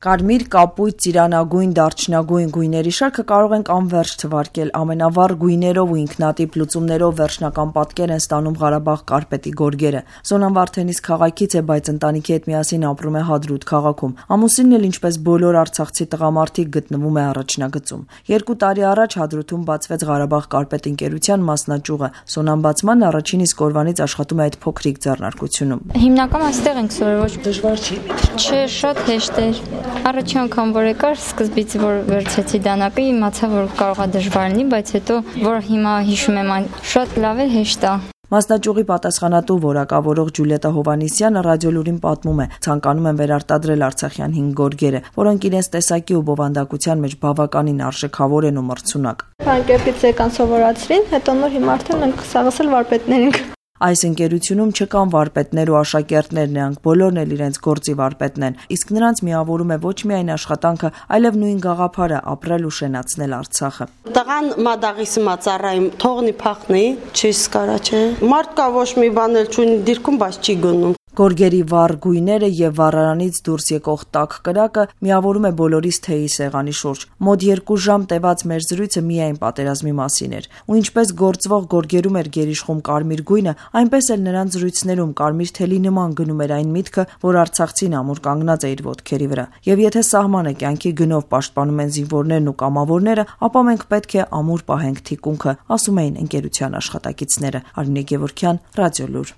Կարմիր, կապույտ, ծիրանագույն, դարչնագույն գույների շարքը կարող ենք անվերջ թվարկել, ամենավառ գույներով ու ինքնատիպ լուծումներով վերջնական պատկեր են ստանում Ղարաբաղ կարպետի գորգերը։ Սոնան Վարդենիս քաղաքից է, բայց ընտանիքի հետ միասին ապրում է Հադրութ քաղաքում։ Ամուսինն էլ ինչպես բոլոր արցախցի տղամարդիկ գտնվում է առաջնագծում։ 2 տարի առաջ Հադրութում բացվեց Ղարաբաղ կարպետ ընկերության մասնաճյուղը։ Սոնան Բացմանն առաջին իսկ օրվանից աշխատում է այդ փոքրիկ ձեռնարկությունում։ Հիմնական այստեղ ենք սովորել։ Դժվար չի։ Չէ, շատ հեշտ էր։ Առաջին անգամ որ եկար, սկզբից որ վերցեցի դանակը, իմացա որ կարող է դժվար լինի, բայց հետո որ հիմա հիշում եմ, շատ լավ է, հեշտ է։ Մասնաճյուղի պատասխանատու որակավորող Ջուլիետա Հովհաննիսյանը ռադիոլուրին պատմում է, ցանկանում են վերարտադրել արցախյան 5 գորգերը, որոնք իրենց տեսակի ու բովանդակության մեջ բավականին արժեքավոր են ու մրցունակ։ Ֆրանկերտից եկան սովորացրին, հետո նոր հիմա արդեն մենք սաղասել վարպետներ ենք։ Այս ընկերությունում չկան վարպետներ ու աշակերտներ, նրանք բոլորն էլ իրենց գործի վարպետն են, իսկ նրանց միավորում է ոչ միայն աշխատանքը, այլև նույն գաղափարը ապրել ու շենացնել Արցախը։ Տղան մադաղիս մածառայում թողնի փախնի, չի սկարա չէ։ Մարդ կա ոչ մի բան էլ չունի դիրքում, բայց չի գնում։ Գորգերի վառ գույները եւ վառարանից դուրս եկող տաք կրակը միավորում է բոլորիս թեյի սեղանի շուրջ։ Մոտ 2 ժամ տևած մեր զրույցը միայն պատերազմի մասին էր։ Ու ինչպես գործվող գորգերում էր գերիշխում կարմիր գույնը, այնպես էլ նրանց զրույցներում կարմիր թելի նման գնում էր այն միտքը, որ արցախցին ամուր կանգնած է իր ոտքերի վրա։ Եվ եթե սահմանը կյանքի գնով պաշտպանում են զինվորներն ու կամավորները, ապա մենք պետք է ամուր պահենք թիկունքը, ասում էին ընկերության աշխատակիցները։ Արմինե Գևորգյան, Ռադիոլուր։